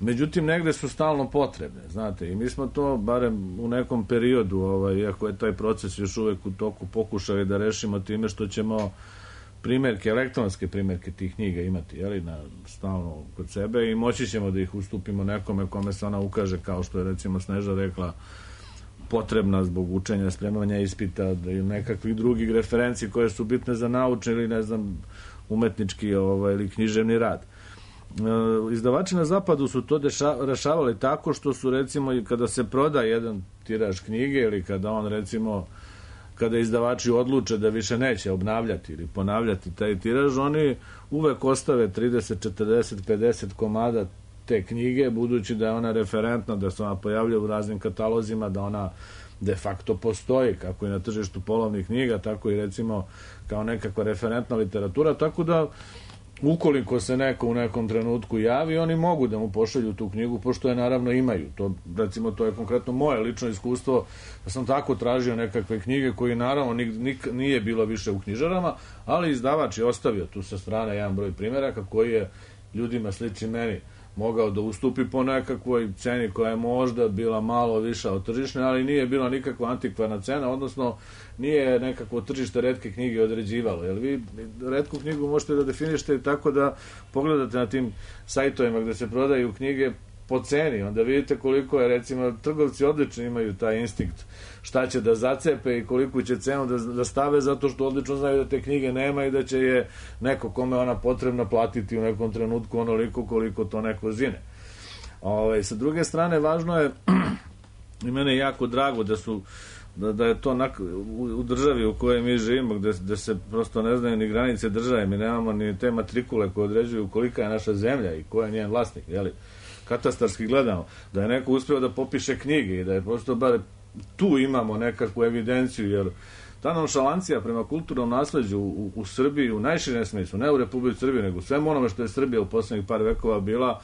Međutim, negde su stalno potrebne, znate, i mi smo to, barem u nekom periodu, ovaj, iako je taj proces još uvek u toku, pokušali da rešimo time što ćemo primjerke, elektronske primjerke tih knjiga imati, jeli, na, stalno kod sebe i moći ćemo da ih ustupimo nekome kome se ona ukaže, kao što je recimo Sneža rekla, potrebna zbog učenja, spremanja ispita, da i nekakvih drugih referenci koje su bitne za naučni ili, ne znam, umetnički ovaj, ili književni rad. E, izdavači na zapadu su to deša, rešavali tako što su, recimo, i kada se proda jedan tiraž knjige ili kada on, recimo, kada izdavači odluče da više neće obnavljati ili ponavljati taj tiraž, oni uvek ostave trideset, četrdeset, pedeset komada te knjige, budući da je ona referentna, da se ona pojavlja u raznim katalozima, da ona de facto postoji, kako i na tržištu polovnih knjiga, tako i recimo kao nekakva referentna literatura, tako da ukoliko se neko u nekom trenutku javi, oni mogu da mu pošalju tu knjigu, pošto je naravno imaju. To, recimo, to je konkretno moje lično iskustvo, da sam tako tražio nekakve knjige koje naravno nik, nik, nije bilo više u knjižarama, ali izdavač je ostavio tu sa strane jedan broj primjeraka koji je ljudima slični meni mogao da ustupi po nekakvoj ceni koja je možda bila malo viša od tržišne, ali nije bila nikakva antikvarna cena, odnosno nije nekakvo tržište retke knjige određivalo. Jer vi retku knjigu možete da definišete tako da pogledate na tim sajtovima gde se prodaju knjige po ceni, onda vidite koliko je, recimo, trgovci odlično imaju taj instinkt šta će da zacepe i koliko će cenu da, da stave, zato što odlično znaju da te knjige nema i da će je neko kome ona potrebna platiti u nekom trenutku onoliko koliko to neko zine. Ove, sa druge strane, važno je i mene je jako drago da su da, da je to nak, u, u državi u kojoj mi živimo, gde, gde se prosto ne znaju ni granice države, mi nemamo ni te matrikule koje određuju kolika je naša zemlja i ko je njen vlasnik, jeli? Katastarski gledamo, da je neko uspeo da popiše knjige i da je prosto bar tu imamo nekakvu evidenciju, jer ta nonšalancija prema kulturnom nasleđu u, u Srbiji u najširem smislu, ne u Republici Srbiji, nego svemu onome što je Srbija u poslednjih par vekova bila,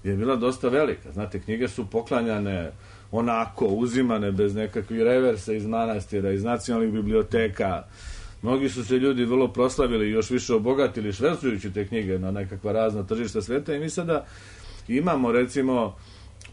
je bila dosta velika. Znate, knjige su poklanjane onako, uzimane bez nekakvih reversa iz manastira, iz nacionalnih biblioteka. Mnogi su se ljudi vrlo proslavili i još više obogatili švercujući te knjige na nekakva razna tržišta sveta i mi sada imamo, recimo,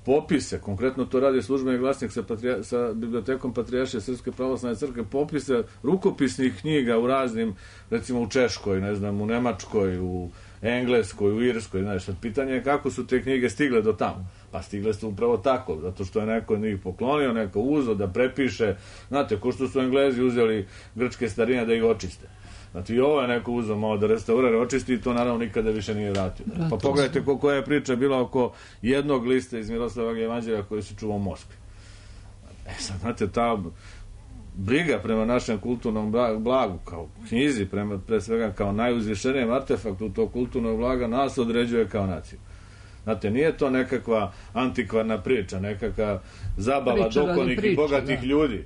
popise, konkretno to radi Službeni glasnik sa, patrija, sa bibliotekom Patrijaršije Srpske pravoslavne crkve, popise rukopisnih knjiga u raznim, recimo u Češkoj, ne znam, u Nemačkoj, u Engleskoj, u Irskoj, znaš, sad pitanje je kako su te knjige stigle do tamo. Pa stigle su upravo tako, zato što je neko njih poklonio, neko uzeo da prepiše, znate, ko što su Englezi uzeli grčke starine da ih očiste. Znači i ovo je neko uzeo malo da restaurira, očisti i to naravno nikada više nije vratio. Pa pogledajte koja je priča bila oko jednog lista iz Miroslavog evanđelja koji se čuva u Moskvi. E sad, znate, ta briga prema našem kulturnom blagu, kao knjizi, prema, pre svega kao najuzvišenijem artefaktu tog kulturnog blaga, nas određuje kao naciju. Znate, nije to nekakva antikvarna priča, nekakva zabava dokonih i bogatih da. ljudi.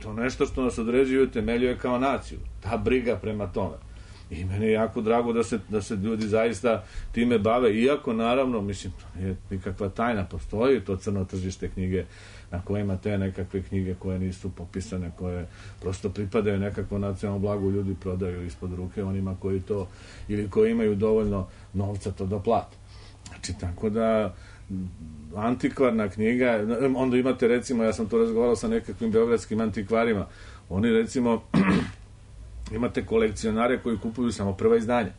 To nešto što nas određuje i temeljuje kao naciju. Ta briga prema tome. I meni je jako drago da se, da se ljudi zaista time bave, iako naravno, mislim, to nije nikakva tajna, postoji to crno tržište knjige na kojima te nekakve knjige koje nisu popisane, koje prosto pripadaju nekakvo nacionalno blagu, ljudi prodaju ispod ruke onima koji to, ili koji imaju dovoljno novca to da plate. Znači, tako da antikvarna knjiga, onda imate, recimo, ja sam to razgovarao sa nekakvim beogradskim antikvarima, Oni recimo imate kolekcionare koji kupuju samo prva izdanja.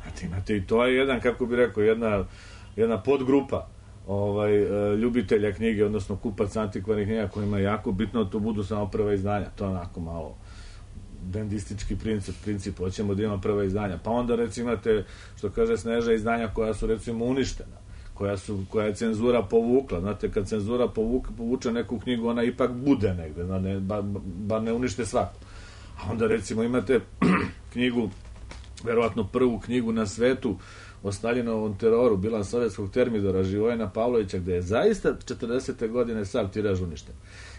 Znate, imate i to je jedan, kako bi rekao, jedna, jedna podgrupa ovaj, ljubitelja knjige, odnosno kupac antikvarnih knjiga kojima je jako bitno da to budu samo prva izdanja. To je onako malo dendistički princip, princip, hoćemo da ima prva izdanja. Pa onda recimo imate, što kaže Sneža, izdanja koja su recimo uništena, koja, su, koja je cenzura povukla. Znate, kad cenzura povuka, povuče neku knjigu, ona ipak bude negde, ne, bar, bar ne unište svaku. A onda recimo imate knjigu, verovatno prvu knjigu na svetu o Staljinovom teroru, bilans sovjetskog termidora Živojina Pavlovića, gde je zaista četrdesete godine sav tiraž uništen.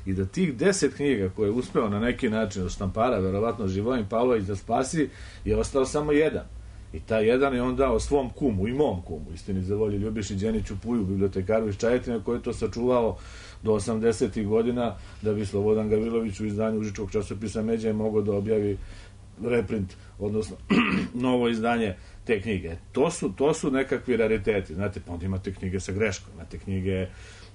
I da tih deset knjiga koje je uspeo na neki način od štampara, verovatno Živojin Pavlović da spasi, je ostao samo jedan. I taj jedan je on dao svom kumu i mom kumu, istini za volju, Ljubiši Đeniću Puju, bibliotekaru iz Čajetine, koji je to sačuvao do osamdesetih godina, da bi Slobodan Gavrilović u izdanju užičkog časopisa Međa mogao da objavi reprint, odnosno novo izdanje te knjige. To su, to su nekakvi rariteti. Znate, pa onda imate knjige sa greškom, imate knjige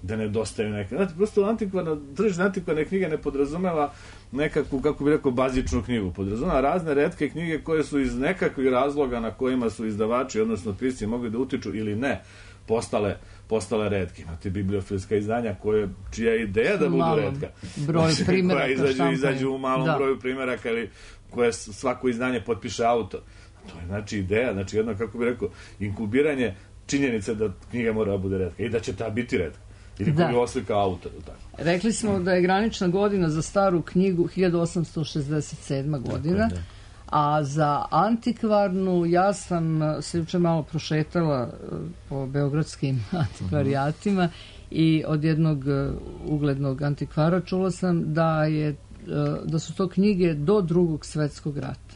da nedostaju neke. Znate, prosto antikvarno, tržište antikvarne knjige ne podrazumeva nekakvu, kako bi rekao, bazičnu knjigu. Podrazumeva razne retke knjige koje su iz nekakvih razloga na kojima su izdavači, odnosno pisci, mogli da utiču ili ne, postale, postale retke. Imate bibliofilska izdanja koje, čija je ideja da budu retka. Broj znači, primjeraka izađu, izađu u malom da. broju primjeraka ili koje svako izdanje potpiše autor. To je znači ideja, znači jedno, kako bi rekao, inkubiranje činjenice da knjiga mora da bude retka i da će ta biti retka. Ili koju oslika autor. Tako. Rekli smo da je granična godina za staru knjigu hiljadu osamsto šezdeset sedma godina, tako, a za antikvarnu ja sam se juče malo prošetala po beogradskim antikvarijatima i od jednog uglednog antikvara čula sam da je da su to knjige do Drugog svetskog rata.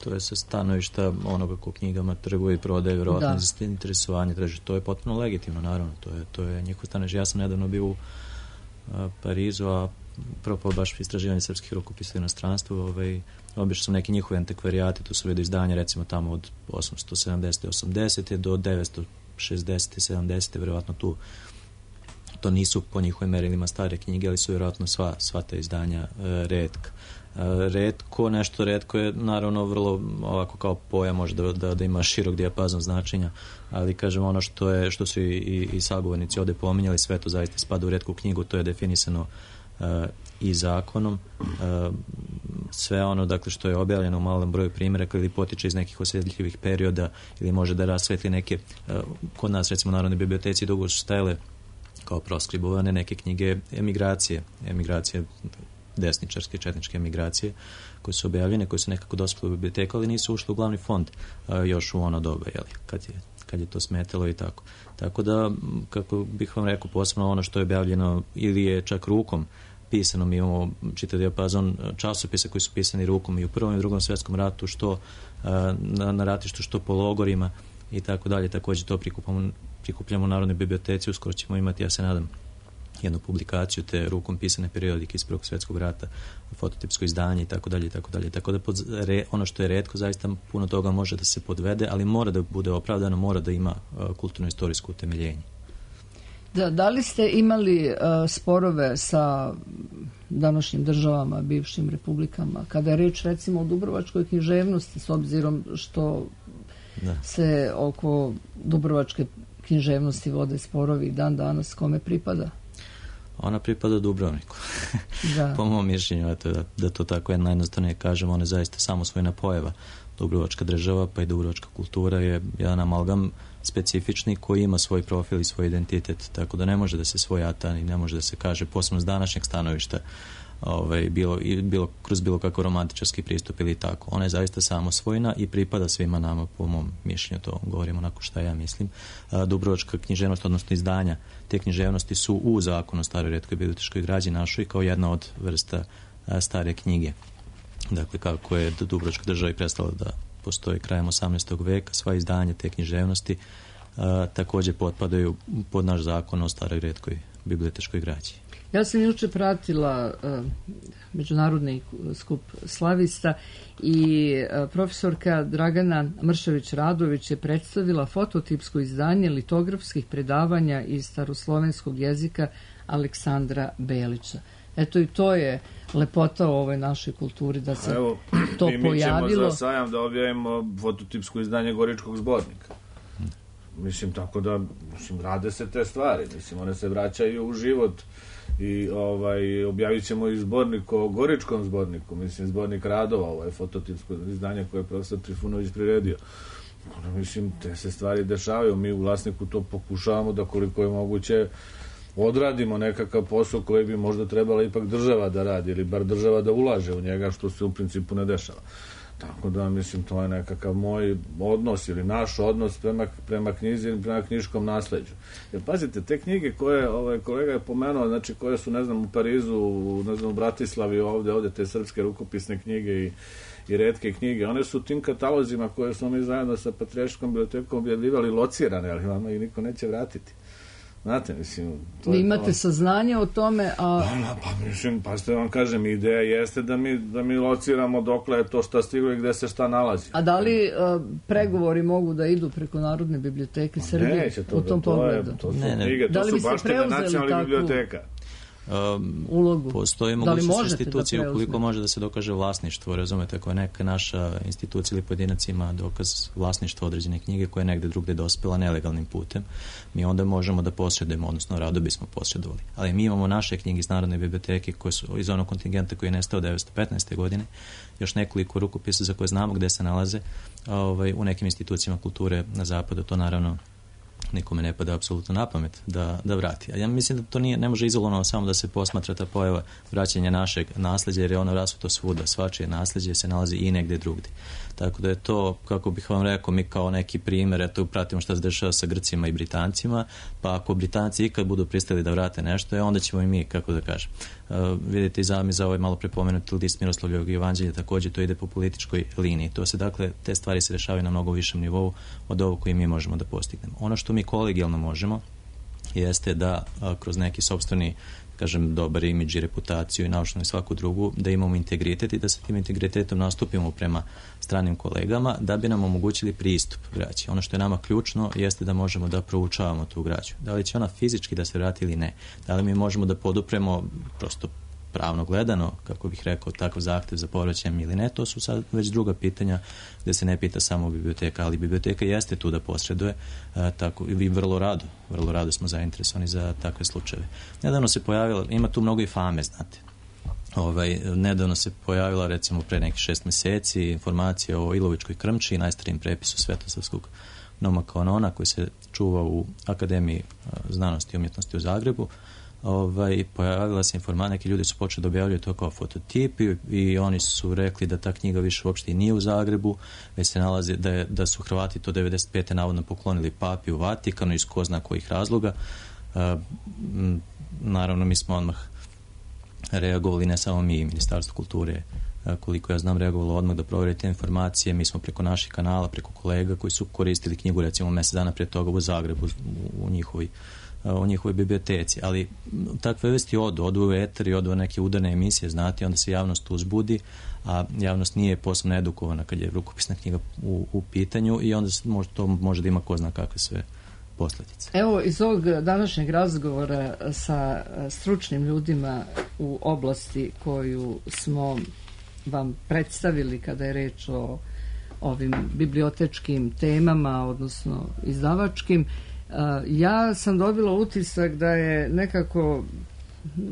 To je sa stanovišta onoga ko knjigama trguje i prodaje, vjerovatno za interesovanje traži. To je potpuno legitimno, naravno. To je, to je njihov stanovište. Ja sam nedavno bio u a, Parizu, a propao baš istraživanje srpskih rukopisa u inostranstvu. Ovaj, obišao sam neki njihovi antikvarijati, tu su vidio izdanja recimo tamo od osamsto sedamdeset osamdeset do devetsto šezdeset sedamdeset, vjerovatno tu. To nisu po njihovim merilima stare knjige, ali su vjerojatno sva, sva ta izdanja e, retka. E, retko, nešto retko je naravno vrlo ovako kao pojam, može da, da, da ima širok dijapazon značenja, ali kažem ono što je, što su i, i, i sagovornici ovde pominjali, sve to zaista spada u retku knjigu, to je definisano e, i zakonom. E, sve ono dakle što je objavljeno u malom broju primjeraka ili potiče iz nekih osjetljivih perioda ili može da rasvetli neke, e, kod nas recimo u Narodnoj biblioteci dugo su stajale kao proskribovane neke knjige emigracije, emigracije desničarske, četničke emigracije, koje su objavljene, koje su nekako dospjele u biblioteku, ali nisu ušle u glavni fond a, još u ono doba, jeli, kad je, kad je to smetalo i tako. Tako da, kako bih vam rekao, posebno ono što je objavljeno ili je čak rukom pisano, mi imamo čitav dijapazon časopisa koji su pisani rukom i u Prvom i Drugom svjetskom ratu, što a, na, na ratištu, što po logorima i tako dalje. Također to prikupamo prikupljamo u Narodnoj biblioteci, uskoro ćemo imati, ja se nadam, jednu publikaciju te rukom pisane periodike iz Prvog svjetskog rata, fototipsko izdanje i tako dalje i tako dalje. Tako da pod, re, ono što je retko, zaista puno toga može da se podvede, ali mora da bude opravdano, mora da ima uh, kulturno-istorijsko utemeljenje. Da, da li ste imali uh, sporove sa današnjim državama, bivšim republikama, kada je reč recimo o dubrovačkoj književnosti, s obzirom što da. se oko dubrovačke književnosti vode sporovi dan danas, kome pripada? Ona pripada Dubrovniku. Da. Po mom mišljenju, eto, da, da to tako je najjednostavnije kažem, ona je zaista samosvojna pojava. Dubrovačka država pa i dubrovačka kultura je jedan amalgam specifični koji ima svoj profil i svoj identitet, tako da ne može da se svojata i ne može da se kaže, posebno s današnjeg stanovišta, ovaj, bilo, bilo, kroz bilo kako romantičarski pristup ili tako. Ona je zaista samosvojna i pripada svima nama, po mom mišljenju, to govorim onako šta ja mislim. A, Dubrovačka književnost, odnosno izdanja te književnosti su u zakonu o staroj retkoj bibliotečkoj građi našoj kao jedna od vrsta a, stare knjige. Dakle, kako je Dubrovačka država i prestala da postoji krajem osamnaestog veka, sva izdanja te književnosti a, također potpadaju pod naš zakon o staroj retkoj bibliotečkoj građi. Ja sam juče pratila uh, međunarodni skup slavista i uh, profesorka Dragana Mršević-Radović je predstavila fototipsko izdanje litografskih predavanja iz staroslovenskog jezika Aleksandra Belića. Eto i to je lepota u ovoj našoj kulturi da se Evo, to mi pojavilo. Mi ćemo za sajam da objavimo fototipsko izdanje Goričkog zbornika. Mislim, tako da, mislim, rade se te stvari. Mislim, one se vraćaju u život i ovaj, objavit ćemo i zbornik o Goričkom zborniku. Mislim, zbornik radova, ovaj fototipsko izdanje koje je profesor Trifunović priredio. Ono, mislim, te se stvari dešavaju. Mi u Vlasniku to pokušavamo da koliko je moguće odradimo nekakav posao koji bi možda trebala ipak država da radi ili bar država da ulaže u njega, što se u principu ne dešava. Tako da, mislim, to je nekakav moj odnos ili naš odnos prema, prema knjizi ili prema knjiškom nasleđu. Jer pazite, te knjige koje ovaj, kolega je pomenuo, znači koje su, ne znam, u Parizu, u, ne znam, u Bratislavi, ovde, ovde te srpske rukopisne knjige i, i retke knjige, one su tim katalozima koje smo mi zajedno sa Patrijarškom bibliotekom objavljivali locirane, ali vama i niko neće vratiti. Znate, mislim... Vi imate to... saznanje o tome, a... Pa, pa mislim, pa što vam kažem, ideja jeste da mi, da mi lociramo dokle je to šta stiglo i gde se šta nalazi. A da li uh, pregovori mogu da idu preko Narodne biblioteke Srbije Neće, to, u tom to pogledu? Je, to su ne, ne. knjige, to da li su bi baš te nacionalnih takvu... biblioteka. Um, ulogu. Postoji mogućnost institucije da ukoliko može da se dokaže vlasništvo, razumete, ako je neka naša institucija ili pojedinac ima dokaz vlasništva određene knjige koja je negde drugde dospela nelegalnim putem, mi onda možemo da posjedujemo, odnosno rado bismo posjedovali. Ali mi imamo naše knjige iz Narodne biblioteke koje su iz onog kontingenta koji je nestao devetsto petnaeste. godine, još nekoliko rukopisa za koje znamo gde se nalaze ovaj, u nekim institucijama kulture na zapadu, to naravno nikome ne pada apsolutno na pamet da, da vrati. A ja mislim da to nije, ne može izolovano samo da se posmatra ta pojava vraćanja našeg nasleđa, jer je ono rasuto svuda, svačije nasleđe se nalazi i negde drugdje. Tako da je to, kako bih vam rekao, mi kao neki primjer, eto, pratimo šta se dešava sa Grcima i Britancima, pa ako Britanci ikad budu pristali da vrate nešto, onda ćemo i mi, kako da kažem. Uh, vidite i za mi za ovaj malo prepomenuti list Miroslavljevog evanđelja, također to ide po političkoj liniji. To se, dakle, te stvari se rešavaju na mnogo višem nivou od ovog koji mi možemo da postignemo. Ono što mi kolegijalno možemo jeste da a, kroz neki sopstveni, kažem, dobar imidž i reputaciju i naučnu i svaku drugu, da imamo integritet i da sa tim integritetom nastupimo prema stranim kolegama da bi nam omogućili pristup građi. Ono što je nama ključno jeste da možemo da proučavamo tu građu. Da li će ona fizički da se vrati ili ne? Da li mi možemo da podupremo prosto pravno gledano, kako bih rekao, takav zahtev za povraćajem ili ne, to su sad već druga pitanja gde se ne pita samo biblioteka, ali biblioteka jeste tu da posreduje, a, tako i vrlo rado, vrlo rado smo zainteresovani za takve slučajeve. Nedavno se pojavila, ima tu mnogo i fame, znate. Ovaj, nedavno se pojavila, recimo pre nekih šest meseci, informacija o Ilovičkoj krmči, najstarijem prepisu Svetosavskog noma kanona koji se čuva u Akademiji znanosti i umjetnosti u Zagrebu. Ovaj, pojavila se informacija, neki ljudi su počeli da objavljaju to kao fototip i, i oni su rekli da ta knjiga više uopšte i nije u Zagrebu, već se nalazi da, je, da su Hrvati to devedeset pete navodno poklonili papi u Vatikanu iz ko zna kojih razloga. A, m, naravno mi smo odmah reagovali, ne samo mi, Ministarstvo kulture, a, koliko ja znam, reagovalo odmah da provjeri te informacije. Mi smo preko naših kanala, preko kolega koji su koristili knjigu recimo mjesec dana prije toga u Zagrebu u, u njihovi u njihovoj biblioteci, ali takve vesti odu, odu u eter i odu u neke udarne emisije, znate, onda se javnost uzbudi, a javnost nije posebno edukovana kad je rukopisna knjiga u, u pitanju i onda može, to može da ima ko zna kakve sve posljedice. Evo, iz ovog današnjeg razgovora sa stručnim ljudima u oblasti koju smo vam predstavili kada je reč o ovim bibliotečkim temama, odnosno izdavačkim, ja sam dobila utisak da je nekako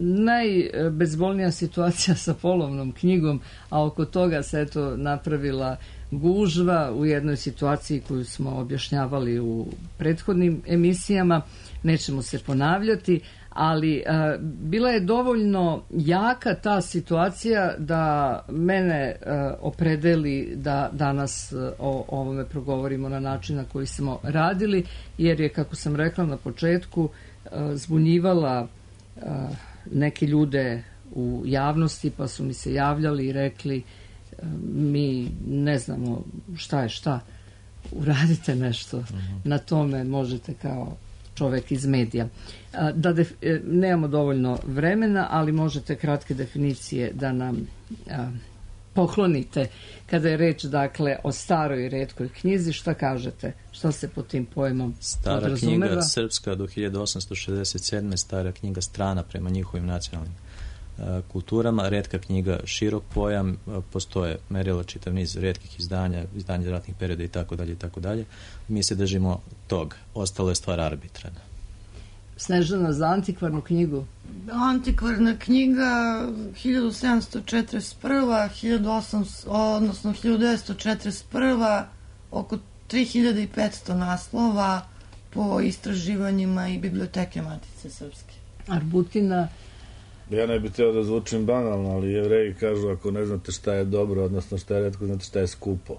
najbezbolnija situacija sa polovnom knjigom, a oko toga se eto napravila gužva u jednoj situaciji koju smo objašnjavali u prethodnim emisijama. Nećemo se ponavljati, ali a, bila je dovoljno jaka ta situacija da mene a, opredeli da danas a, o ovome progovorimo na način na koji smo radili, jer je, kako sam rekla na početku, a, zbunjivala a, neke ljude u javnosti, pa su mi se javljali i rekli a, mi ne znamo šta je šta, uradite nešto, uh-huh. na tome možete kao čovek iz medija. Da def, nemamo dovoljno vremena, ali možete kratke definicije da nam a, poklonite kada je reč, dakle, o staroj i retkoj knjizi. Šta kažete? Šta se pod tim pojmom Stara podrazumeva? Knjiga srpska do hiljadu osamsto šezdeset sedme. Stara knjiga strana prema njihovim nacionalnim kulturama. Retka knjiga, širok pojam, postoje merila, čitav niz retkih izdanja, izdanja ratnih perioda i tako dalje i tako dalje. Mi se držimo tog. Ostalo je stvar arbitrana. Snežana, za antikvarnu knjigu? Antikvarna knjiga hiljadu sedamsto četrdeset prva, hiljadu osamsto, odnosno hiljadu devetsto četrdeset prva, oko tri hiljade petsto naslova po istraživanjima i biblioteke Matice Srpske. Arbutina? Ja ne bih teo da zvučim banalno, ali Jevreji kažu ako ne znate šta je dobro, odnosno šta je retko, znate šta je skupo.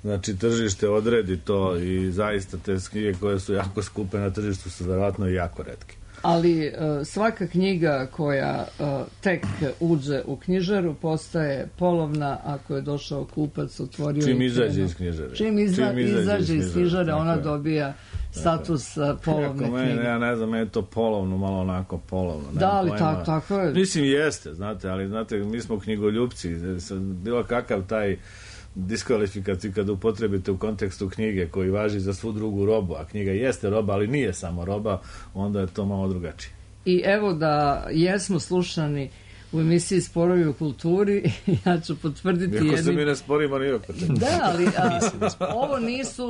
Znači, tržište odredi to i zaista te knjige koje su jako skupe na tržištu su verovatno i jako retke. Ali uh, svaka knjiga koja uh, tek uđe u knjižaru postaje polovna ako je došao kupac, otvorio... Čim izađe iz knjižare. Čim, izla, Čim izađe, izađe iz knjižare, ona je. dobija status uh, polovne meni, knjige. Ja ne znam, meni je to polovno, malo onako polovno. Da, ali tako, tako je. Mislim, jeste, znate, ali znate, mi smo knjigoljupci. Bilo kakav taj diskvalifikaciju kada upotrebite u kontekstu knjige koji važi za svu drugu robu, a knjiga jeste roba, ali nije samo roba, onda je to malo drugačije. I evo da jesmo slušani u emisiji Sporovi u kulturi, ja ću potvrditi... Iako jedni... se mi ne sporimo ni oko toga. Da, ali a, ovo nisu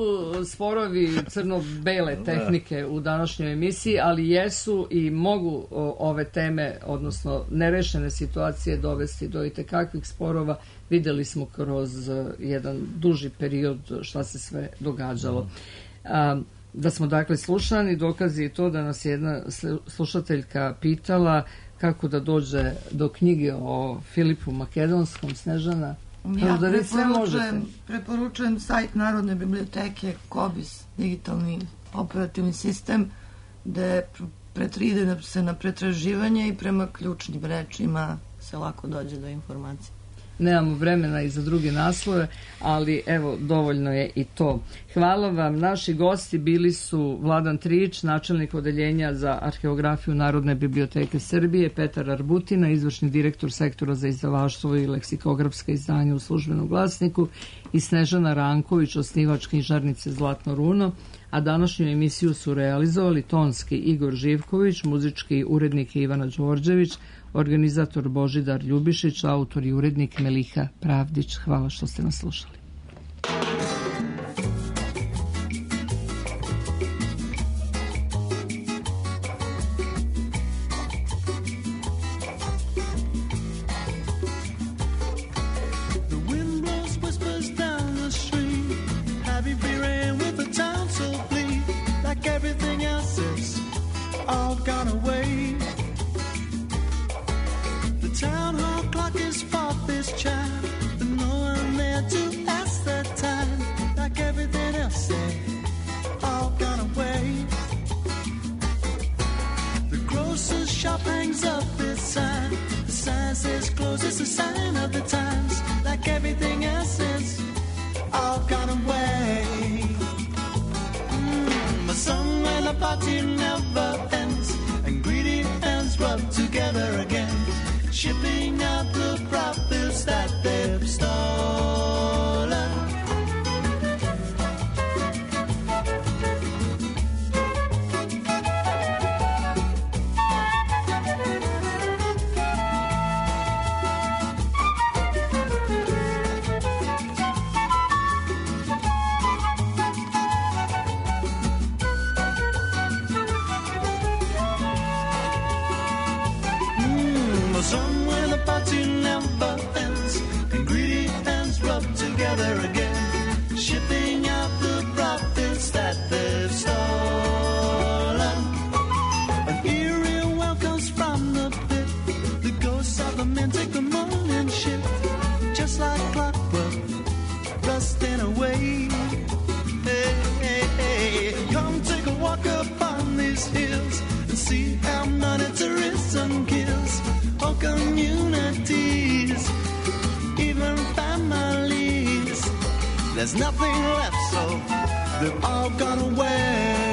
sporovi crno-bele tehnike u današnjoj emisiji, ali jesu i mogu o, ove teme, odnosno nerešene situacije dovesti do itekakvih sporova. Videli smo kroz jedan duži period šta se sve događalo. A, da smo dakle slušani, dokazi je to da nas jedna slušateljka pitala kako da dođe do knjige o Filipu Makedonskom. Snežana, ja da preporučujem, preporučujem sajt Narodne biblioteke Kobis, digitalni operativni sistem, gde pretride se na pretraživanje i prema ključnim rečima se lako dođe do informacije. Nemamo vremena i za druge naslove, ali evo, dovoljno je i to. Hvala vam. Naši gosti bili su Vladan Trijić, načelnik odeljenja za arheografiju Narodne biblioteke Srbije, Petar Arbutina, izvršni direktor sektora za izdavaštvo i leksikografska izdanja u Službenom glasniku, i Snežana Ranković, osnivač knjižarnice Zlatno runo, a današnju emisiju su realizovali tonski Igor Živković, muzički urednik Ivana Đorđević, organizator Božidar Ljubišić, autor i urednik Meliha Pravdić. Hvala što ste nas slušali. Shipping out the profits that they've stolen. Somewhere the party never ends, and greedy hands rub together again, shipping out the profits that they've stolen. An eerie welcomes from the pit, the ghosts of the men take the morning shift, just like clockwork, rusting away. Hey, hey, hey, come take a walk upon these hills and see how monetarism kills all communities, even families. There's nothing left, so they've all gone away.